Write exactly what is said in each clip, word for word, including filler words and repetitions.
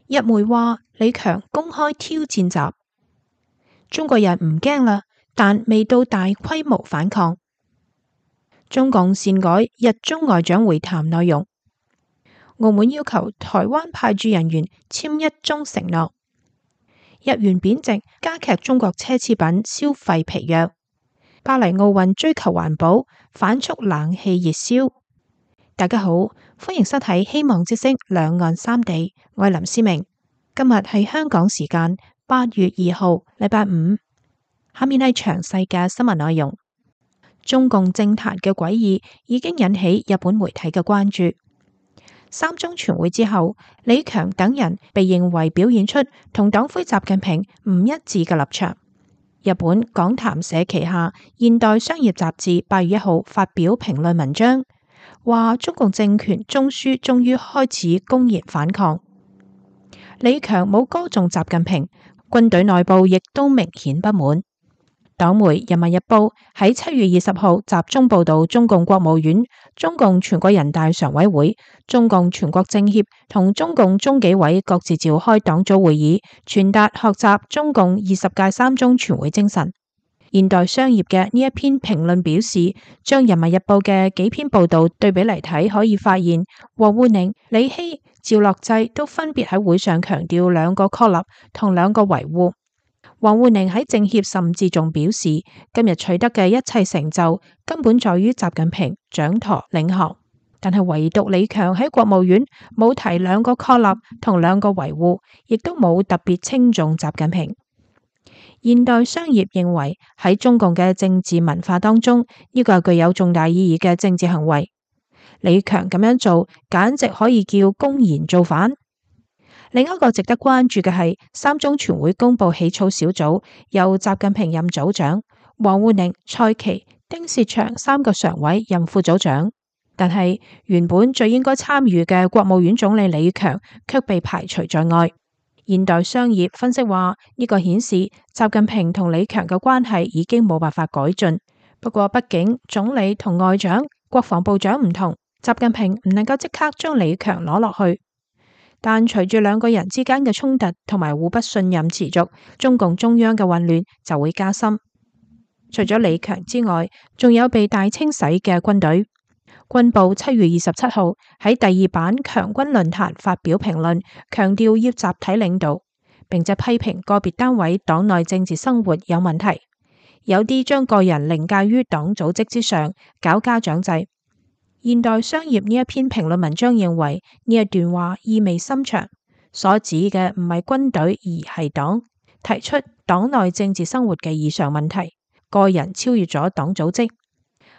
日媒話李強公開挑戰習，中國人唔驚啦，但未到大規模反抗。中共擅改日中外長會談內容。澳門要求台灣派駐人員簽一中承諾。日元貶值加劇中國奢侈品消費疲弱。巴黎奧運追求環保，反促冷氣熱銷。大家好，歡迎收睇《希望之聲兩岸三地》，我係林思明。今日係香港時間八月二號，禮拜五。下面係詳細嘅新聞內容。中共政壇嘅詭異已經引起日本媒體嘅關注。三中全會之後，李強等人被認為表現出同黨魁習近平唔一致嘅立場。日本講談社旗下《現代商業雜誌》八月一號發表評論文章，話中共政權中樞終於開始公然反抗。李強冇歌頌習近平，軍隊內部亦都明顯不滿。黨媒《人民日報》喺七月二十號集中報道中共國務院、中共全國人大常委會、中共全國政協同中共中紀委各自召開黨組會議，傳達學習中共二十屆三中全會精神。現代商業嘅呢一篇評論表示，將《人民日報》嘅幾篇報道對比嚟睇，可以發現王滬寧、李希、趙樂際都分別喺會上強調兩個確立同兩個維護。王滬寧喺政協甚至仲表示，今日取得嘅一切成就根本在於習近平掌舵領航，但係唯獨李強喺國務院冇提兩個確立同兩個維護，亦都冇特別稱頌習近平。現代商業認為喺中共嘅政治文化當中，呢個係具有重大意義嘅政治行為。李強咁樣做，簡直可以叫公然造反。另一個值得關注嘅係三中全會公布起草小組由習近平任組長，王滬寧、蔡奇、丁薛祥三個常委任副組長，但係原本最應該參與嘅國務院總理李強卻被排除在外。現代商業分析話，呢個顯示習近平同李強嘅關係已經冇辦法改進。不過畢竟總理同外長、國防部長唔同，習近平唔能夠即刻將李強攞落去。但隨住兩個人之間嘅衝突同埋互不信任持續，中共中央嘅混亂就會加深。除咗李強之外，仲有被大清洗嘅軍隊。軍報七月二十七號喺第二版強軍論壇發表評論，強調要集體領導，並且批評個別單位黨內政治生活有問題，有啲將個人凌駕於黨組織之上，搞家長制。現代商業呢一篇評論文章認為呢一段話意味深長，所指嘅唔係軍隊而係黨，提出黨內政治生活嘅異常問題，個人超越咗黨組織。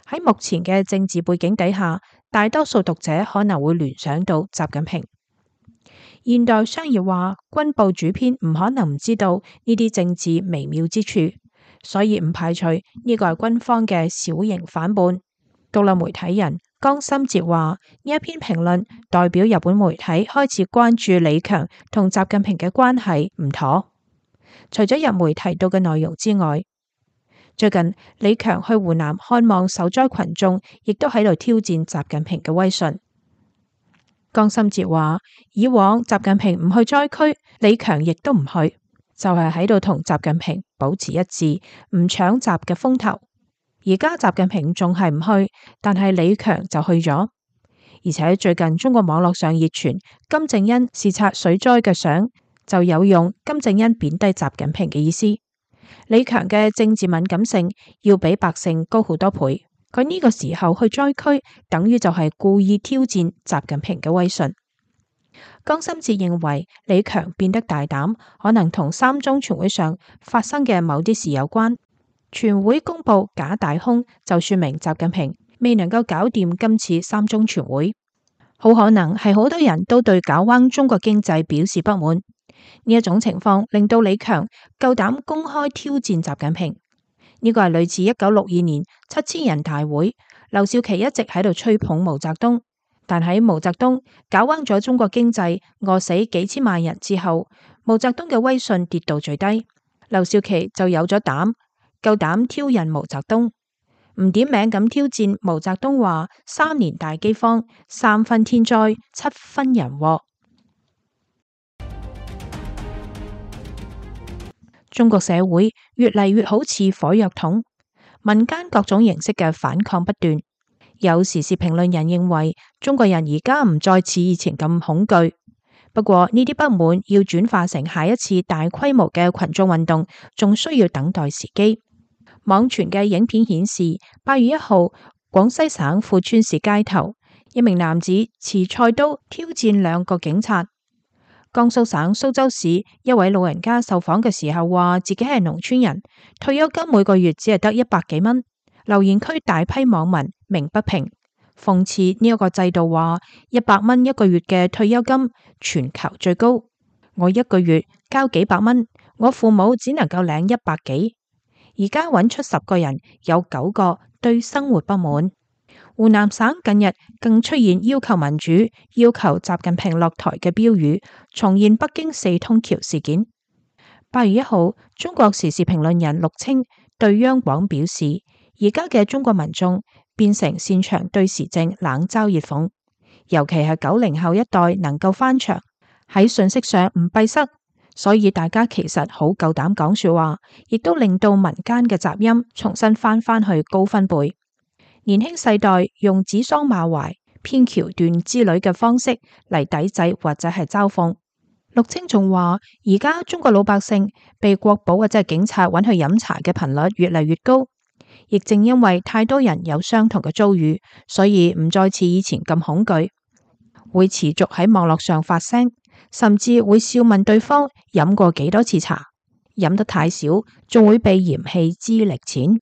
喺目前嘅政治背景底下，大多數讀者可能會聯想到習近平。現代商業話，軍報主編唔可能唔知道呢啲政治微妙之處，所以唔排除呢個係軍方嘅小型反叛。獨立媒體人江森哲話，呢一篇評論代表日本媒體開始關注李強同習近平嘅關係唔妥。除咗日媒提到嘅內容之外，最近李強去湖南看望受災群眾，亦都喺度挑戰習近平嘅威信。江森哲話，以往習近平唔去災區，李強亦都唔去，就係喺度同習近平保持一致，唔搶習嘅風頭。而家習近平仲係唔去，但係李強就去咗。而且最近中國網絡上熱傳金正恩視察水災嘅相，就有用金正恩貶低習近平嘅意思。李強嘅政治敏感性要比百姓高好多倍，佢呢個時候去災區，等於就係故意挑戰習近平嘅威信。江森哲認為李強變得大膽，可能同三中全會上發生嘅某啲事有關。全會公布假大空，就說明習近平未能夠搞掂今次三中全會，好可能係好多人都對搞彎中國經濟表示不滿。呢一種情況令到李強夠膽公開挑戰習近平。呢個係類似一九六二年七千人大會，劉少奇一直喺度吹捧毛澤東，但喺毛澤東搞彎咗中國經濟，餓死幾千萬人之後，毛澤東嘅威信跌到最低，劉少奇就有咗膽，夠膽挑釁毛澤東，唔點名咁挑戰毛澤東話三年大饑荒，三分天災，七分人禍。中國社會越嚟越好似火藥桶，民間各種形式嘅反抗不斷。有時事評論人認為，中國人而家唔再似以前咁恐懼。不過呢啲不滿要轉化成下一次大規模嘅群眾運動，仲需要等待時機。網傳嘅影片顯示，八月一號，廣西省富川市街頭，一名男子持菜刀挑戰兩個警察。江蘇省蘇州市一位老人家受訪嘅時候話，自己係農村人，退休金每個月只係得一百幾蚊。留言區大批網民鳴不平，諷刺呢一個制度，話一百蚊一個月嘅退休金全球最高，我一個月交幾百蚊，我父母只能夠領一百幾。而家揾出十個人，有九個對生活不滿。湖南省近日更出現要求民主、要求習近平落台嘅標語，重現北京四通橋事件。八月一號，中國時事評論人陸清對央廣表示，而家嘅中國民眾變成擅長對時政冷嘲熱諷，尤其係九零後一代能夠翻牆，喺信息上唔閉塞，所以大家其實好夠膽講說話，亦都令到民間嘅雜音重新翻返去高分貝。年輕世代用指桑罵槐、編橋段之類嘅方式嚟抵制或者係嘲諷。陸清仲話，而家中國老百姓被國保或者係警察揾去飲茶嘅頻率越嚟越高。亦正因為太多人有相同嘅遭遇，所以唔再似以前咁恐懼，會持續喺網絡上發聲，甚至會笑問對方飲過幾多次茶，飲得太少仲會被嫌棄資歷淺。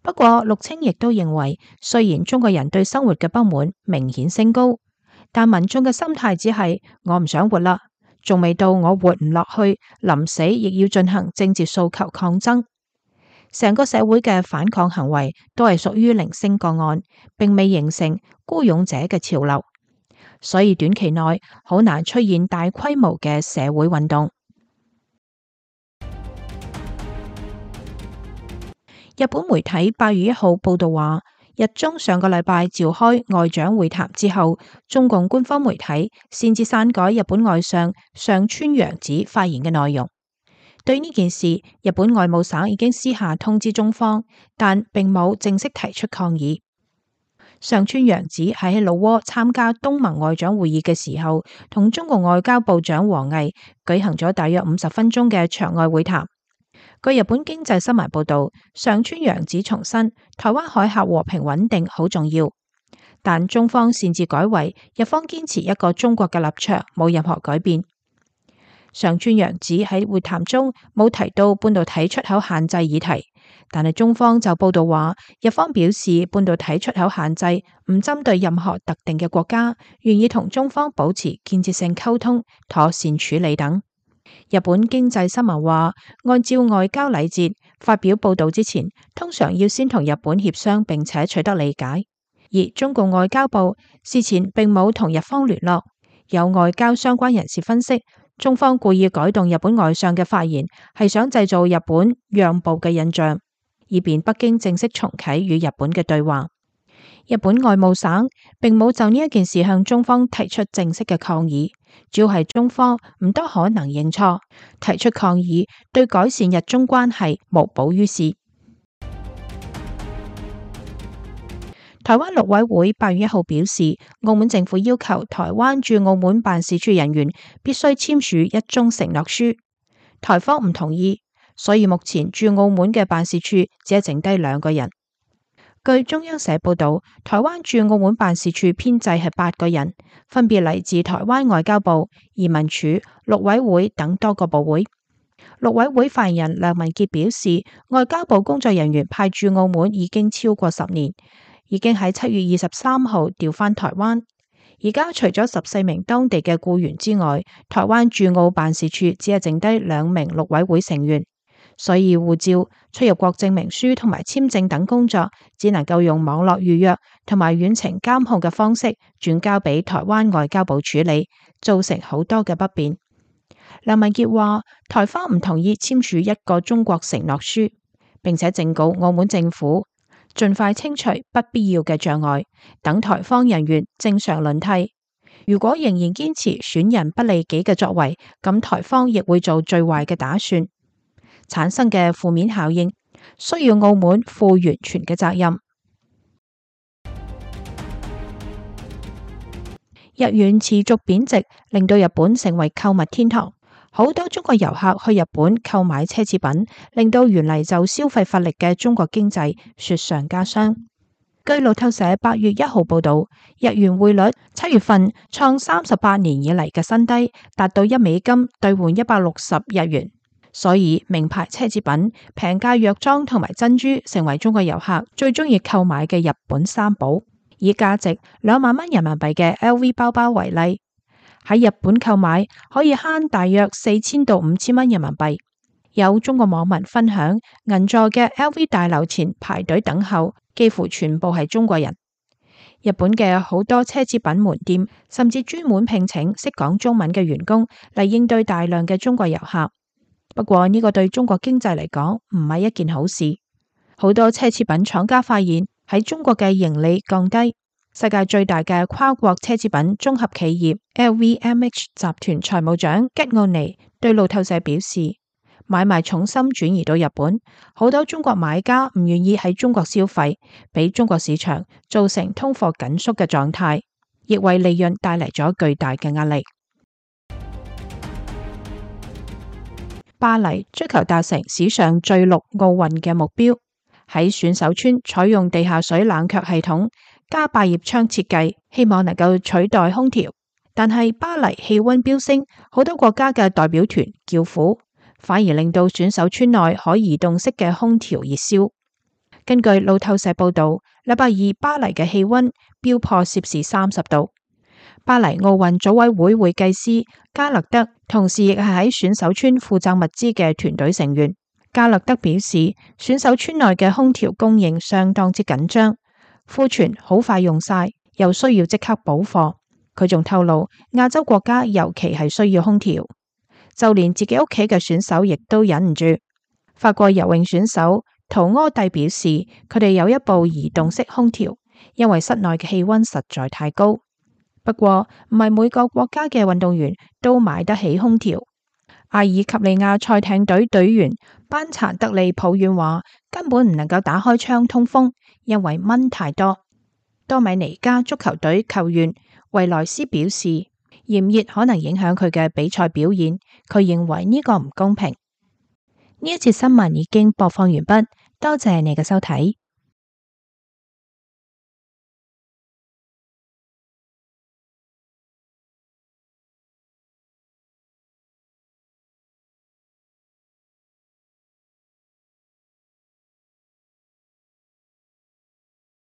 不過陸清亦都認為，雖然中國人對生活嘅不滿明顯升高，但民眾嘅心態只係我唔想活啦，仲未到我活唔落去，臨死亦要進行政治訴求抗爭。成個社會嘅反抗行為都係屬於零星個案，並未形成孤勇者嘅潮流，所以短期內好難出現大規模嘅社會運動。日本媒體八月一號報道話，日中上個禮拜召開外長會談之後，中共官方媒體擅自刪改日本外相上川陽子發言嘅內容。對呢件事，日本外務省已經私下通知中方，但並冇正式提出抗議。上川陽子係喺老撾參加東盟外長會議嘅時候，同中國外交部長王毅舉行咗大約五十分鐘嘅場外會談。據日本經濟新聞報道，上川陽子重申台灣海峽和平穩定好重要，但中方擅自改為日方堅持一個中國嘅立場，冇任何改變。上川陽子喺會談中冇提到半導體出口限制議題，但係中方就報道話，日方表示半導體出口限制唔針對任何特定嘅國家，願意同中方保持建設性溝通、妥善處理等。日本經濟新聞話，按照外交禮節，發表報道之前，通常要先同日本協商並且取得理解，而中共外交部事前並冇同日方聯絡。有外交相關人士分析，中方故意改動日本外相嘅發言，係想製造日本讓步嘅印象，以便北京正式重啟與日本嘅對話。日本外務省並冇就呢一件事向中方提出正式嘅抗議，主要係中方唔多可能認錯，提出抗議對改善日中關係無補於事。台灣陸委會八月一號表示，澳門政府要求台灣駐澳門辦事處人員必須簽署一宗承諾書，台方唔同意，所以目前駐澳門嘅辦事處只係剩低兩個人。據中央社報道，台灣駐澳門辦事處編制係八個人，分別嚟自台灣外交部、移民署、陸委會等多個部會。陸委會發言人梁文傑表示，外交部工作人員派駐澳門已經超過十年，已經喺七月二十三號調返台灣。而家除咗十四名當地嘅僱員之外，台灣駐澳辦事處只係剩低兩名陸委會成員。所以護照、出入國證明書同埋簽證等工作，只能夠用網絡預約同埋遠程監控嘅方式轉交俾台灣外交部處理，造成好多嘅不便。梁文傑話，台方唔同意簽署一個中國承諾書，並且正告澳門政府盡快清除不必要嘅障礙，等台方人員正常輪替。如果仍然堅持損人不利己嘅作為，咁台方亦會做最壞嘅打算。產生嘅負面效應，需要澳門負完全嘅責任。日元持續貶值，令到日本成為購物天堂。好多中國遊客去日本購買奢侈品，令到原嚟就消費乏力嘅中國經濟雪上加霜。據路透社八月一號報道，日元匯率七月份創三十八年以嚟嘅新低，達到一美金兌換一百六十日元。所以名牌奢侈品、平價藥妝同埋珍珠成為中國遊客最中意購買嘅日本三寶。以價值兩萬蚊人民幣嘅 L V 包包為例，喺日本購買可以慳大約四千到五千蚊人民幣。有中國網民分享，銀座嘅 L V 大樓前排隊等候，幾乎全部係中國人。日本嘅好多奢侈品門店甚至專門聘請識講中文嘅員工嚟應對大量嘅中國遊客。不過呢個對中國經濟嚟講唔係一件好事。好多奢侈品廠家發現喺中國嘅盈利降低。世界最大嘅跨國奢侈品綜合企業 L V M H 集團財務長吉奧尼對路透社表示，買賣重心轉移到日本，好多中國買家唔願意喺中國消費，俾中國市場造成通貨緊縮嘅狀態，亦為利潤帶嚟咗巨大嘅壓力。巴黎追求達成史上最綠奧運嘅目標，喺選手村採用地下水冷卻系統加百葉窗設計，希望能夠取代空調。但係巴黎氣溫飆升，好多國家嘅代表團叫苦，反而令到選手村內可移動式嘅空調熱燒。根據路透社報道，禮拜二巴黎嘅氣溫飆破攝氏三十度。巴黎奧運組委會會計師加勒德同時亦係喺選手村負責物資嘅團隊成員。加勒德表示，選手村內嘅空調供應相當之緊張，庫存好快用晒，又需要即刻補貨。佢仲透露，亞洲國家尤其係需要空調，就連自己屋企嘅選手亦都忍唔住。法國游泳選手圖柯蒂表示，佢哋有一部移動式空調，因為室內嘅氣溫實在太高。不過唔係每個國家嘅運動員都買得起空調。阿爾及利亞賽艇隊隊員班查德利抱怨話，根本唔能夠打開窗通風，因為蚊太多。多米尼加足球隊球員維萊斯表示，炎熱可能影響佢嘅比賽表現，佢認為呢個唔公平。呢一節新聞已經播放完畢，多謝你嘅收睇。